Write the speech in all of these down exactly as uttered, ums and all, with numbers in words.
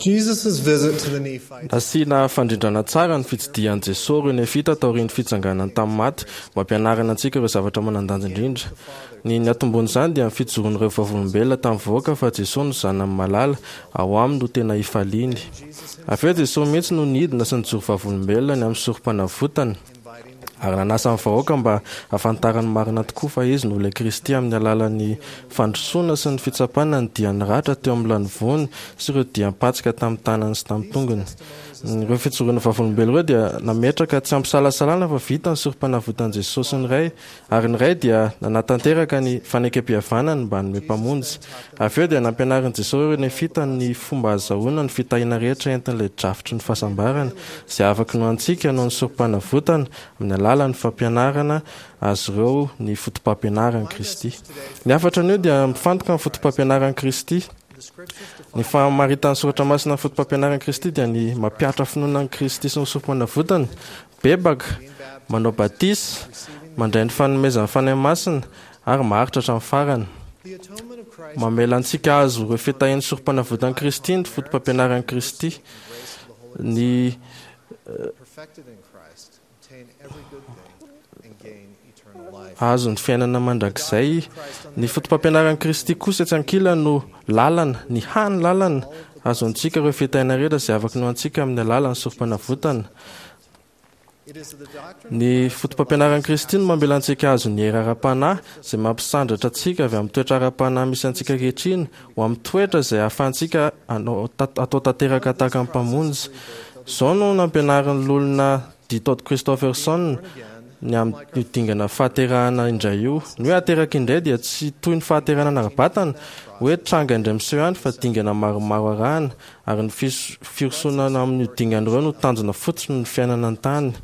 Jesus' visit to the Nephites Nasiana fandrindrana tsara ny fitsidihan'i Jesosy ireo Nefita taorian'ny fitsanganany tamin'ny maty mba hampianarana antsika ireo zavatra manan-danja indrindra. Ny niantombohan'izany dia ny fijoroan'ireo vavolombelona tamin'ny vahoaka fa Jesosy no Zanany malala, ao aminy no tena ifaliany. Avy eo Jesosy mihitsy no nidina sy nijoro vavolombelona ny amin'ny sorom-panavotany, ary nanasa ny vahoaka mba hahafantarany marina tokoa fa Izy no ilay Kristy amin'ny alalan'ny fandrosoana sy ny fitsapana ny dian'ny ratra teo amin'ny lanivoany sy ireo diam-patsika tamin'ny tanany sy tamin'ny tongony. Ireo fijoroana vavolombelona ireo dia nametraka tsy ampisalasalana fa vita ny sorom-panavotan'i Jesosy sy ny Ray, ary ny Ray dia nanatanteraka ny fanekempihavanany mba hanome Mpamonjy. Avy eo dia nampianarin'i Jesosy ireo Nefita ny fomba ahazahoana ny fitahiana rehetra entin'ilay drafitry ny fahasambarana, izay afaka inoantsika noho ny sorom-panavotana, amin'ny alalan'ny fampianarana azy ireo ny fotopampianaran'i Kristy. Ny hafatra anio dia mifantoka amin'ny fotopampianaran'i Kristy. Ny famaritan'ny Soratra Masina ny fotopampianaran'i Kristy dia ny mampihatra finoana an'i Kristy sy ny sorom-panavotany, mibebaka, manao batisa, mandray ny fanomezan'ny Fanahy Masina, ary maharitra hatramin'ny farany. The atonement of Christ Mamela antsika hahazo ireo fitahian'ny sorom-panavotan'i Kristy ny fotopampianaran'i Kristy. Ny perfected in Christ obtain every good thing and gain eternal life. hahazo ny fiainana mandrakizay. Ny fotopampianaran'i Kristy kosa etsy ankilany no lalana, ny hany lalana ahazoantsika ireo fitahiana rehetra izay afaka inoantsika amin'ny alalan'ny sorom-panavotana. It is the doctrine Ny fotopampianaran'i Kristy no mamela antsika hahazo ny hery ara-panahy izay mampisandratra antsika avy amin'ny toetra ara-panahy misy antsika ankehitriny ho amin'ny toetra izay ahafahantsika hanao ta- atao tanteraka tahaka ny Mpamonjy. Izao no nampianarin'ny loholona D. Todd Christofferson ny amin'ny dingana fahaterahana indray io. Ny hoe ateraka indray dia tsy toy ny fahaterahana ara-batana, hoe tranga indray miseho ihany fa dingana maromaro arahana, ary ny fis- firosoana amin'io dingana ireo no tanjona fotsiny ny fiainana an-tany.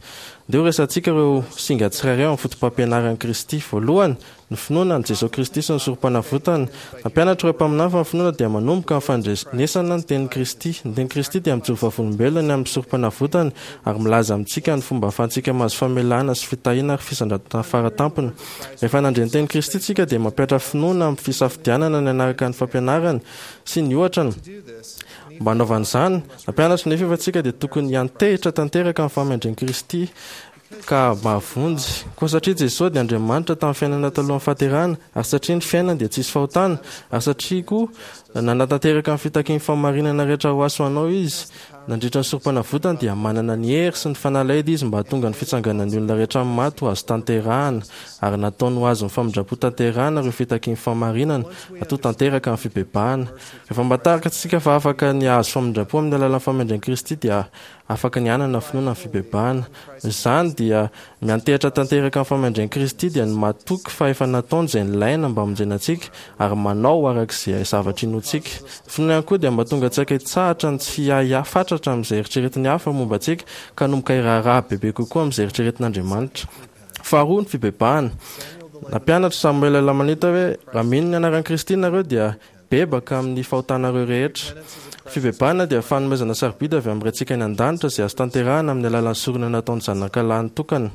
Ndeha ho resahantsika ireo singa tsirairay ao amin'ny fotopampianaran'i Kristy. Voalohany, ny finoana an'i Jesosy Kristy sy ny sorom-panavotany. Nampianatra ireo mpaminany fa ny finoana dia manomboka amin'ny fandrenesana ny tenin'i Kristy. Ny tenin'i Kristy dia mijoro vavolombelona ny amin'ny sorom-panavotany ary milaza amintsika ny fomba ahafahantsika mahazo famelana sy fitahiana ary fisandratana faratampony. Rehefa nandre ny tenin'i Kristy isika dia mampihatra finoana amin'ny fisafidianana ny hanaraka ny fampianarany sy ny ohatrany. to do this, Mba hanaovana izany, nampianatra nefa efa tsika dia tokony hiantehitra tanteraka amin'ny fahamendren'i Kristy ka mahavonjy. Koa satria Jesosy dia Andriamanitra tamin'ny fiainana talohan'ny fahaterahana, ary satria ny fiainany dia tsisy fahotana, ary satria koa nanatanteraka ny fitakian'ny fahamarinana rehetra ho ahy sy ho anao Izy, nandritra ny sorom-panavotany dia manana ny hery sy ny fanalahidy Izy mba hahatonga ny fitsanganan'ny olona rehetra amin'ny maty ho azo tanterahana, ary nataony ho azon'ny famindram-po tanterahana ireo fitakian'ny fahamarinana, atao tanteraka amin'ny fibebahana. Rehefa mba takatsika fa afaka ny hahazo famindram-po amin'ny alalan'ny fahamendren'i Kristy dia afaka ny hanana finoana ny fibebahana. Izany dia miantehitra tanteraka amin'ny fahamendren'i Kristy dia ny matoky fa efa nataony izay nilaina mba hamonjena antsika ary manao araka izay zavatra inoantsika. Ny finoana ihany koa dia mahatonga antsika hitsahatra ny tsy hiahiahy fatratra amin'izay eritreretin'ny hafa momba antsika ka hanomboka hiraharaha bebe kokoa amin'izay eritreretin'Andriamanitra. Faharoa, ny fibebahana. Nampianatra Samoela Lamanita hoe raha mino ny anaran'i Kristy nareo dia bebaka amin'ny fahotanareo rehetra. Fibebahana dia fanomezana sarobidy avy amin'ny Raintsika any an-danitra izay azo tanterahana amin'ny alalan'ny sorona nataon'ny Zanakalahy nitokana.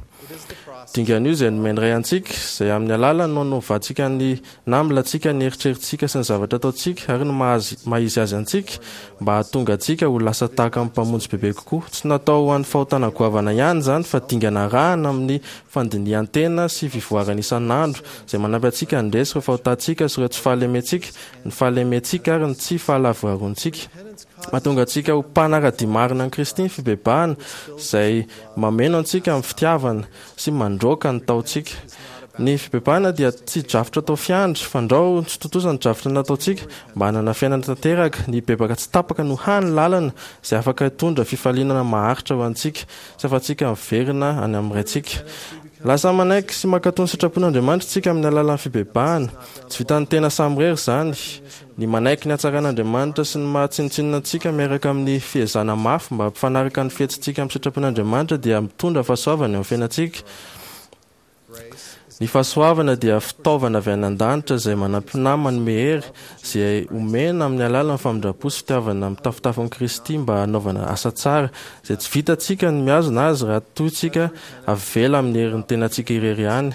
Dingana io izay nomen'ny Ray antsika, izay amin'ny alalany no hanovantsika ny namilantsika ny eritreritsika sy ny zavatra ataontsika ary ny maha- maha-izy azy antsika mba hahatonga antsika ho lasa tahaka amin'ny Mpamonjy bebe kokoa. Tsy natao ho an'ny fahotana goavana ihany izany fa dingana arahana amin'ny fandinihan-tena sy fivoarana isan'andro izay manampy antsika handresy ireo fahotantsika sy ireo tsy fahalementsika, ny fahalementsika ary ny tsy fahalavorarontsika. Mahatonga antsika ho mpanara-dia marina an'i Kristy ny fibebahana izay mameno antsika amin'ny fitiavana sy mandroaka ny taontsika. Ny fibebahana dia tsy drafitra atao fiandry, fandrao tsy tontosa ny drafitra nataontsika mba hanana fiainana tanteraka. Ny bebaka tsy tapaka no hany lalana izay afaka hitondra fifaliana maharitra ho antsika sy ahafahantsika miverina any amin'ny Raintsika. Lasa manaiky sy mankatò ny sitrapon'Andriamanitra isika amin'ny alalan'ny fibebahana. Tsy vitan'ny tena samirery izany. Ny manaiky ny hatsaran'Andriamanitra sy ny maha tsinontsinona antsika miaraka amin'ny fiezahana mafy mba hampifanaraka ny fihetsitsika amin'ny sitrapon'Andriamanitra dia mitondra fahasoavana eo amin'ny fiainantsika. Ny fahasoavana dia fitaovana avy any an-danitra izay manampy na manome hery, izay omena amin'ny alalan'ny famindram-po sy fitiavana mitafotafo an'i Kristy mba hanaovana asa tsara, izay tsy vitantsika ny mihazona azy raha toa isika avela amin'ny herin'ny tenantsika irery ihany.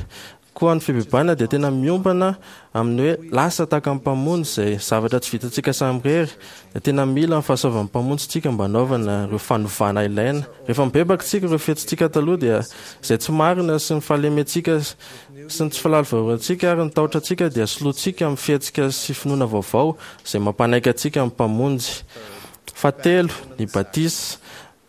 Koa ny fibebahana dia tena miompana amin'ny hoe lasa tahaka ny Mpamonjy, izay zavatra tsy vitantsika samirery. Dia tena mila ny fahasoavan'ny Mpamonjy tsika mba hanaovana ireo fanovana ilaina. Rehefa mibebaka tsika, ireo fihetsitsika taloha dia izay tsy marina sy ny fahalementsika sy ny tsy fahalavorantsika ary ny tahotra antsika dia solointsika amin'ny fihetsika sy finoana vaovao izay mampanaiky antsika amin'ny Mpamonjy. Fahatelo, ny batisa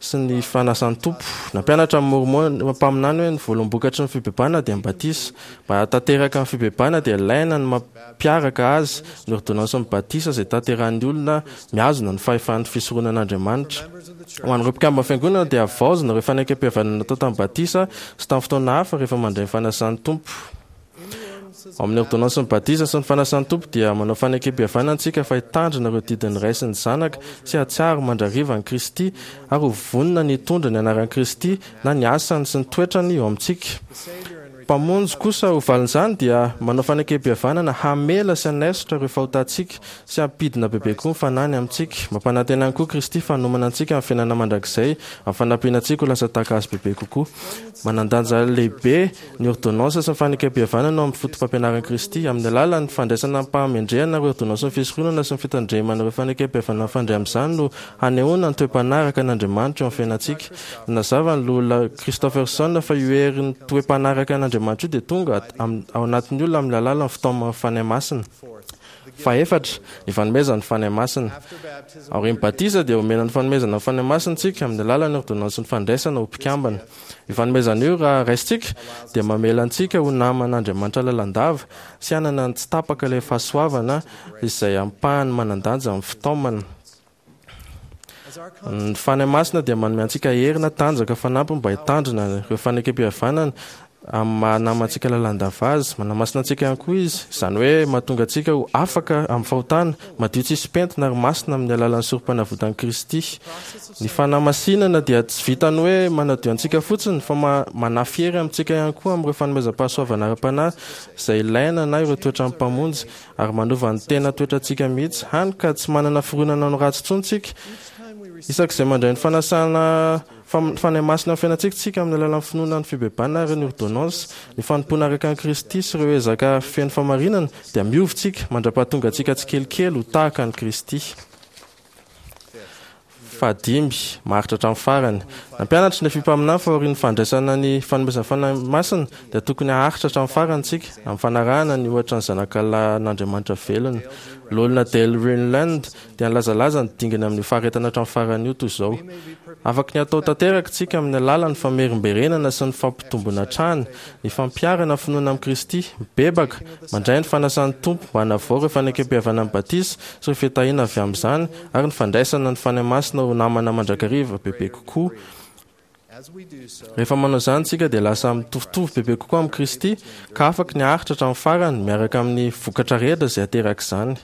sy ny fanasan'ny Tompo. Nampianatra ny Môrmôna mpaminany hoe ny voaloham-bokatry ny fibebahana dia ny batisa. Mba hahatanteraka ny fibebahana dia ilaina ny mampiaraka azy ny ôrdônansin'ny batisa izay tanterahin'ny olona mihazona ny fahefan'ny fisoronan'Andriamanitra. Ho an'ireo mpikambana fiangonana dia havaozina ireo fanekempihavanana natao tamin'ny batisa sy tamin'ny fotoana hafa rehefa mandray ny fanasan'ny Tompo. Ao amin'ny ôrdônansin'ny batisa sy ny fanasan'ny Tompo dia manao fanekempihavanana antsika fa hitandrina ireo didin'ny Ray sy ny Zanaka sy hahatsiaro mandrakariva an'i Kristy ary ho vonona ny hitondra ny anaran'i Kristy na ny asany sy ny toetrany eo amintsika. Mpamonjy kosa ho valin'izany dia manao fanekempihavanana hamela sy hanaisotra ireo fahotantsika sy hampidina bebe koa ny fanahiny amintsika. Mampanantena ihany koa Kristy fa hanomana antsika amin'ny fiainana mandrakizay amin'ny fanampiana antsika ho lasa tahaka azy bebe kokoa. Manan-danja lehibe ny ôrdônansa sy ny fanekempihavanana ao amin'ny fotopampianaran'i Kristy. Amin'ny alalan'ny fandraisana amim-pahamendrehana ireo ôrdônansin'ny fisoronana sy ny fitandremana ireo fanekempihavanana mifandray amin'izany no hanehoana ny toe-panaraka an'Andriamanitra eo amin'ny fiainantsika. Nanazava ny Loholona Christofferson fa io herin'ny toe-panaraka an'Andriamanitra io dia tonga ao anatin'ny olona amin'ny alalan'ny fitaoman'ny Fanahy Masina. Fahefatra, ny fanomezana ny Fanahy Masina. Aorian'ny batisa dia omena ny fanomezana ny Fanahy Masina isika amin'ny alalan'ny ôrdônansin'ny fandraisana ho mpikambana. Io fanomezana io, raha raisintsika, dia mamela antsika ho naman'Andriamanitra lalandava sy hanana ny tsy tapaka ilay fahasoavana izay ampahany manan-danja amin'ny fitaomana. Ny Fanahy Masina dia manome antsika hery na tanjaka fanampiny mba hitandrina ireo fanekempihavanana amin'ny maha namantsika lalandava azy. Manamasina antsika ihany koa izy, izany hoe mahatonga antsika ho afaka amin'ny fahotana, madio tsisy pentina ary masina amin'ny alalan'ny sorompanavotan'i Kristy. Ny fanamasinana dia tsy vitan'ny hoe manadio antsika fotsiny fa manafy hery amintsika ihany koa amin'ireo fanomezam-pahasoavana ara-panahy izay ilaina na ireo toetran'ny Mpamonjy ary manova ny tena toetrantsika mihitsy, hany ka tsy manana fironana ho ratsy intsony tsika. Isak'izay mandray ny fanasana Fanahy Masina amin'ny fiainantsika tsika amin'ny alalan'ny finoana ny fibebahana ary ny ôrdônansy, ny fanompoana araka an'i Kristy sy ireo ezaka feno fahamarinana, dia miova tsika mandra-pahatonga antsika tsikelikely ho tahaka an'i Kristy. Fahadimy, maharitra hatramin'ny farany. Nampianatra ny Nefia mpaminany fa aorian'ny fandraisana ny fanomezan'ny Fanahy Masina dia tokony haharitra hatramin'ny farany tsika amin'ny fanarahana ny ohatra ny Zanakalahin'Andriamanitra velona. Loholona Dale Renlund dia nilazalaza ny dingana amin'io faharetana hatramin'ny farany io toy izao: Afaky ny hatao tanteraka tsika amin'ny alalan'ny famerimberenana sy ny fampitomboana hatrany ny fampiharana finoana amin'i Kristy, mibebaka, mandray ny fanasan'ny Tompo mba hanavao ireo fanekempihavanan'ny batisa sy ireo fitahiana avy amin'izany ary ny fandraisana ny Fanahy Masina ho namana mandrakariva bebe kokoa. Rehefa manao izany isika dia lasa mitovitovy bebe kokoa amin'i Kristy ka afaky ny haharitra hatramin'ny farany miaraka amin'ny vokatra rehetra izay aterak'izany.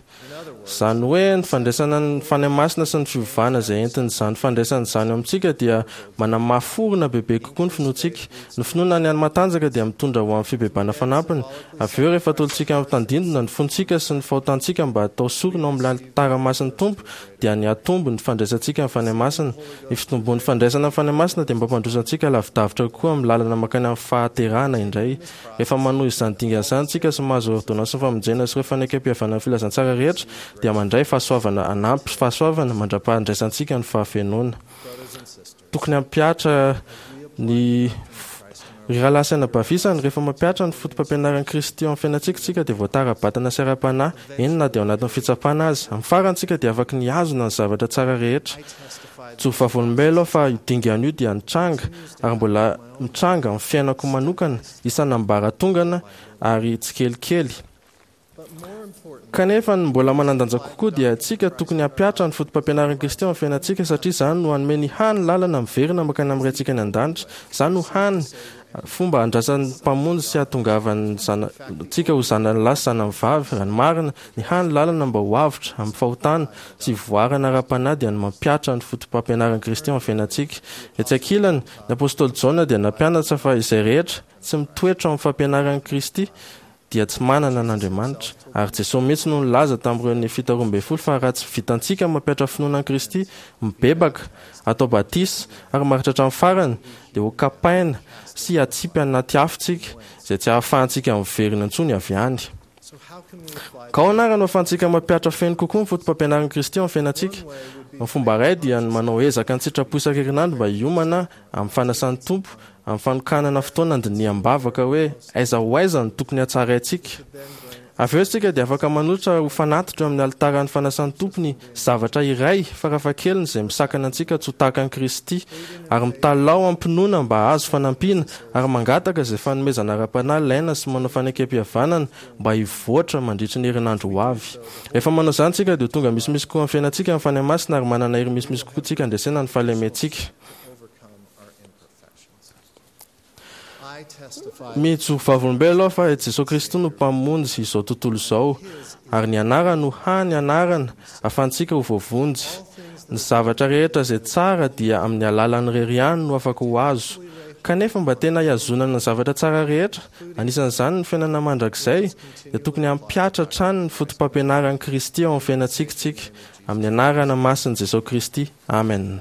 Izany hoe ny fandraisana ny Fanahy Masina sy ny fiovana izay entin'izany fandraisana izany eo amintsika dia manamafy orina bebe kokoa ny finoantsika. Ny finoana ny matanjaka dia mitondra ho amin'ny fibebahana fanampiny. Avy eo rehefa atolotsika amin'ny tandindona ny fontsika sy ny fahotantsika mba hatao sorona ao amin'ny alitara masin'ny Tompo dia nihatombo ny fandraisantsika ny Fanahy Masina. Ny fitombon'ny fandraisana ny Fanahy Masina dia mampandroso antsika lavidavitra kokoa amin'ny lalana mankany amin'ny fahaterahana indray. Rehefa manohy izany dingana izany isika sy mahazo ôrdônansin'ny famonjena sy ireo fanekempihavanan'ny filazantsara rehetra, dia mandray fahasoavana hanampy fahasoavana mandra-pahandraisantsika ny fahafenoana. Tokony hampihatra ny Ry rahalahy sy anabavy isany, rehefa mampihatra ny fotopampianaran'i Kristy eo amin'ny fiainantsika isika dia voatara-batana sy ara-panahy, eny na dia ao anatin'ny fitsapana aza. Amin'ny farany isika dia afaky ny hihazona ny zavatra tsara rehetra. Joro vavolombelona aho fa io dingana io dia nitranga ary mbola mitranga amin'ny fiainako manokana isan'ambaratongana ary tsikelikely. Kanefa ny mbola manan-danja kokoa dia isika tokony hampihatra ny fotopampianaran'i Kristy ao amin'ny fiainantsika satria izany no hanome ny hany lalana miverina mankany amin'ny Raintsika any an-danitra. Izany no hany fomba handrasan'ny Mpamonjy sy hahatongavan'ny zanatsika ho zanany lahy sy zanany vavy. Raha ny marina, ny hany lalana mba ho avotra amin'ny fahotana sy hivoarana ara-panahy dia ny mampihatra ny fotopampianaran'i Kristy ao amin'ny fiainantsika. Etsy ankilany, ny apostoly Jaona dia nampianatra fa izay rehetra tsy mitoetra ao amin'ny fampianaran'i Kristy dia tsy manana an'Andriamanitra. Ary Jesosy mihitsy no nilaza tamin'ireo Nefita roa ambin'ny folo fa raha tsy vitantsika mampihatra finoana an'i Kristy, mibebaka, atao batisa ary maharitra hatramin'ny farany, dia ho kapaina sy hatsipy anaty afo tsika, izay tsy ahafahantsika miverina intsony avy any. Ka ahoana ary no ahafahantsika mampihatra feno kokoa ny fotopampianaran'i Kristy ao amin'ny fiainantsika? Ny fomba iray dia ny manao ezaka an-tsitrapo isan-kerinandro mba hiomana amin'ny fanasan'ny Tompo, amin'ny fanokanana fotoana andiniham-bavaka hoe aiza ho aiza no tokony hatsaraintsika. Avy eo isika dia afaka manolotra ho fanatitra eo amin'ny alitaran'ny fanasan'ny Tompo ny zavatra iray farafahakeliny izay misakana antsika tsy ho tahaka an'i Kristy, ary mitalaho am-pinoana mba hahazo fanampiana, ary mangataka izay fanomezana ara-panahy ilaina sy manao fanekem-pihavanana mba hivoatra mandritry ny herinandro ho avy. Rehefa manao izany isika dia ho tonga misimisy kokoa amin'ny fiainantsika ny Fanahy Masina ary manana hery misimisy kokoa isika handresena ny fahalementsika. I testify Mijoro vavolombelona aho fa i Jesosy Kristy no Mpamonjy izao tontolo izao, ary ny anarany no hany anarana ahafahantsika ho voavonjy. Ny zavatra rehetra izay tsara dia amin'ny alalan'ny irery ihany no afaka ho azo. Kanefa mba tena hihazonana ny zavatra tsara rehetra, anisan'izany ny fiainana mandrakizay, dia tokony hampihatra hatrany ny fotopampianaran'i Kristy ao amin'ny fiainantsika isika, amin'ny anarana masin'i Jesosy Kristy. Amen.